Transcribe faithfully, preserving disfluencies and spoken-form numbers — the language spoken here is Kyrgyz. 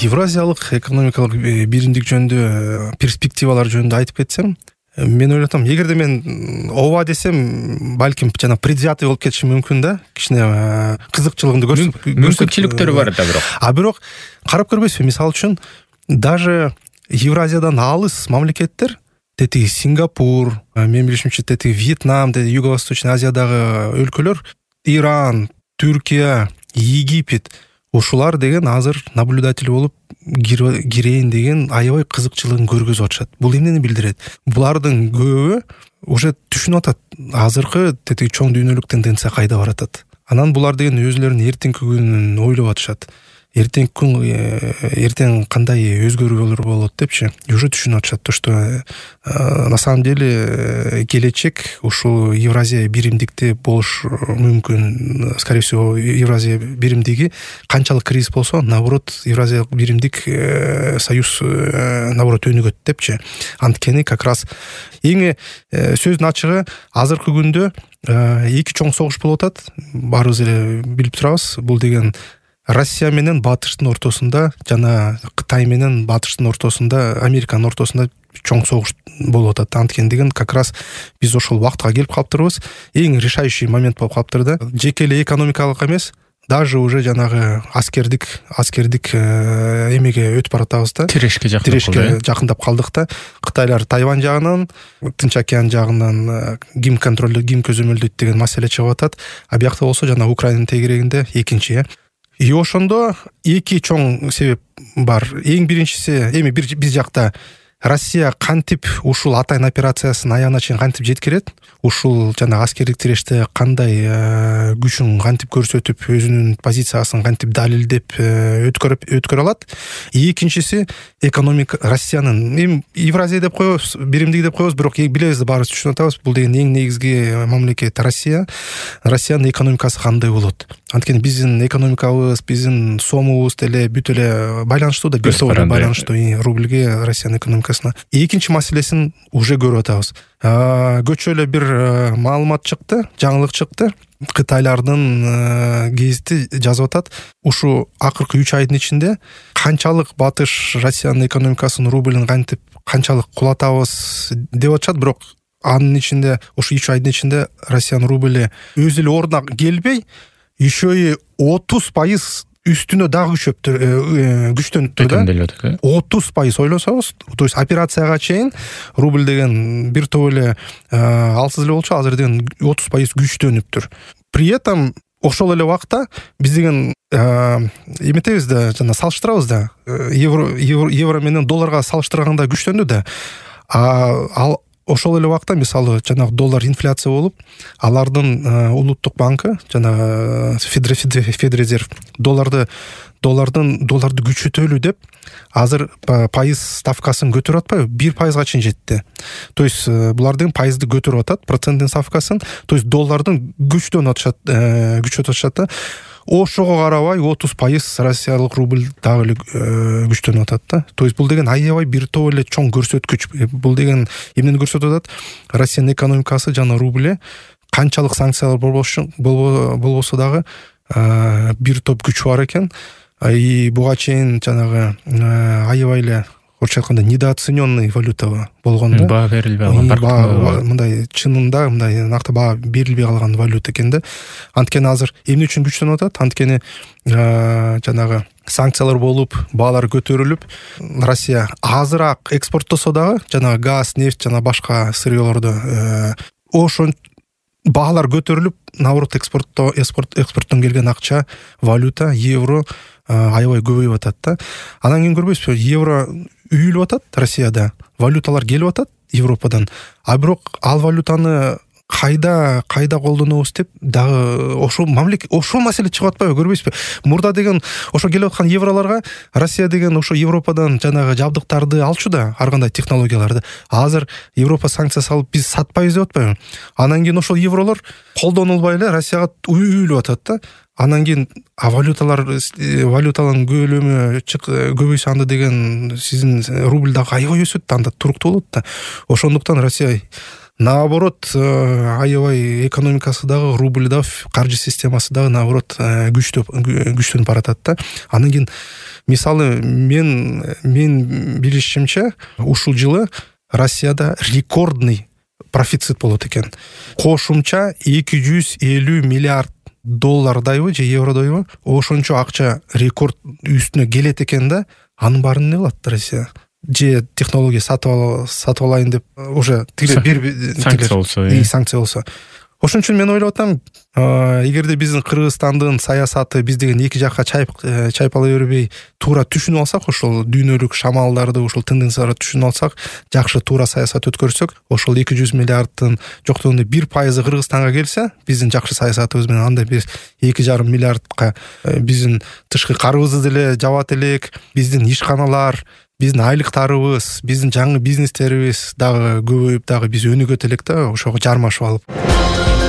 Евразиялык экономикалык биримдик жөнүндө перспективалар жөнүндө айтып кетсем, мен ойлойт атам, эгерде мен ооба десем, балким жана предвзятый болуп кетишим мүмкүн да, кичине кызыкчылыгымды көрсөт. Мүмкүнчүлүктөрү бар да бирок. А бирок карап көрбөйсүзбү, мисалы үчүн даже Евразиядан алыс мамлекеттер, тетиги Сингапур, мен билишимче тетиги Вьетнам, тетиги Юго-Восточный Азиядагы өлкөлөр, Иран, Түркия, Египет, ушулар деген азыр наблюдатель болуп кирейин деген аябай кызыкчылыгын көргөзүп атышат. Бул эмнени билдирет? Булардын көбү уже түшүнүп атат, азыркы тетиги чоң дүйнөлүк тенденция кайда баратат. Анан булар деген өзлөрүнүн эртеңки күнүн ойлоп атышат. Эртеңки күн эртең кандай өзгөрүүлөр болот депчи, уже түшүнүп атышат, то что на самом деле келечек ушул Евразия биримдикте болуш мүмкүн. Скорее всего, Евразия биримдиги канчалык кризис болсо, наоборот, Евразиялык биримдик союз наоборот өнүгөт депчи. Анткени как раз эң сөздүн ачыгы азыркы күндө эки чоң согуш болуп атат. Баарыбыз эле билип турабыз. Бул деген Россия менен Батыштын ортосунда жана Кытай менен Батыштын ортосунда, Американын ортосунда чоң согуш болуп атат. Анткени деген как раз биз ошол убактка келип калыптырбыз. Эң решающий момент болуп калыптыр да. Жеке эле экономикалык эмес, даже уже жанагы аскердик аскердик эмеге өтүп баратабыз да. Тирешке жакындап Тирешке жакындап калдык да. Кытайлар Тайвань жагынан, Тынч океан жагынан ким контролдойт, ким көзөмөлдөйт деген маселе чыгып атат. А биякта болсо жана Украинанын тегерегинде экинчи э. И ошондо эки чоң себеп бар. Эң биринчиси, эми биз жакта Россия кантип ушул атайын операциясын аягына чейин кантип жеткирет, ушул жана аскердик тиреште кандай күчүн кантип көрсөтүп, өзүнүн позициясын кантип далилдеп өткөрүп өткөрө алат. Экинчиси экономика Россиянын, эми Евразия деп коебуз, биримдик деп коебуз, бирок билебиз, баарыбыз түшүнүп атабыз, бул деген эң негизги мамлекет Россия. Россиянын экономикасы кандай болот? Анткени биздин экономикабыз, биздин сомубуз деле бүт эле байланыштуу да, бир топ байланыштуу рубльге, Россиянын экономикасына. Экинчи маселесин уже көрүп атабыз. Көчө эле бир маалымат чыкты, жаңылык чыкты. Кытайлардын гезити жазып атат, ушу акыркы үч айдын ичинде канчалык Батыш Россиянын экономикасын, рубльин кантип канчалык кулатабыз деп атышат, бирок анын ичинде ушу үч айдын ичинде Россиянын рубльи өз эле ордуна келбей, еще и отуз пайыз үстүнө дагы күчөп күчтөнүп турду да. отуз пайыз ойлосоңуз, то есть операцияга чейин рубль деген бир топ эле алсыз эле болчу, азыр деген отуз пайыз күчтөнүптүр. При этом ошол эле убакта биз деген эметебиз да, жана салыштырабыз да, евро евро менен долларга салыштырганда күчтөндү да. Ал ошол эле убакта мисалы жанагы доллар инфляция болуп, алардын улуттук банкы жана Федрезерв долларды доллардын долларды күчөтөлү деп азыр пайыз ставкасын көтөрүп атпайбы, бир пайызга чейин жетти. То есть булардын пайызды көтөрүп атат, проценттин ставкасын, то есть доллардын күчтөнүп атышат, күчөтүп атышат да. Ошого карабай отуз пайыз Россиялык рубль дагы эле күчтөнүп атат да. То есть бул деген аябай бир топ эле чоң көрсөткүч. Бул деген эмнени көрсөтүп атат? Россиянын экономикасы жана рубли канчалык санкциялар болбосо дагы бир топ күч бар экен. И буга чейин жанагы аябай эле орусча айтканда недооцененный валюта болгон да. Баа берилбей калган. Мындай чынында мындай накты баа берилбей калган валюта экен да. Анткени азыр эмне үчүн күчтөнүп атат? Анткени жанагы санкциялар болуп, баалар көтөрүлүп, Россия азыраак экспорттосо дагы, жанагы газ, нефть жана башка сырьёлорду ошон баалар көтөрүлүп, наоборот экспортто экспорттон келген акча, валюта, евро аябай көбөйүп атат да. Анан кийин көрбөйсүзбү, евро үйүлүп атат Россияда, валюталар келип атат Европадан. А бирок ал валютаны кайда кайда колдонобуз деп дагы ошол мамлекет ошол маселе чыгып атпайбы, көрбөйсүзбү? Мурда деген ошо келип аткан евролорго Россия деген ошо Европадан жанагы жабдыктарды алчу да, ар кандай технологияларды. Азыр Европа санкция салып биз сатпайбыз деп атпайбы? Анан кийин ошол евролор колдонулбай эле Россияга үйүлүп атат да. Анан кийин валюталар валюталардын көлөмү көбөйсө анда деген сиздин рубль дагы аябай өсөт да, анда туруктуу болот да. Ошондуктан Россия наоборот аябай экономикасы дагы, рубль дагы, каржы системасы дагы наоборот күчтөп күчтөнүп баратат да. Анан кийин мисалы мен мен билишимче ушул жылы Россияда рекордный профицит болот экен. Кошумча эки жүз элүү миллиард доллардайбы же евродойбу ошончо акча рекорд үстүнө келет экен да. Анын баарын эмне кылат Россия? Же технология сатып сатып алайын деп уже бир санкция болсо, санкция болсо. Ошон үчүн мен ойлоп атам, эгерде биздин Кыргызстандын саясаты биз деген эки жакка чайпала бербей, туура түшүнүп алсак, ошол дүйнөлүк шамалдарды, ошол тенденцияларды түшүнүп алсак, жакшы туура саясат өткөрсөк, ошол эки жүз миллиардтын жоктогунда бир пайызы Кыргызстанга келсе, биздин жакшы саясатыбыз менен анда биз эки жарым миллиардка биздин тышкы карыбызды деле жабат элек, биздин ишканалар, биздин айлыктарыбыз, биздин жаңы бизнестерибиз дагы көбөйүп, дагы биз өнүгөт элек да, ошого жармашып алып.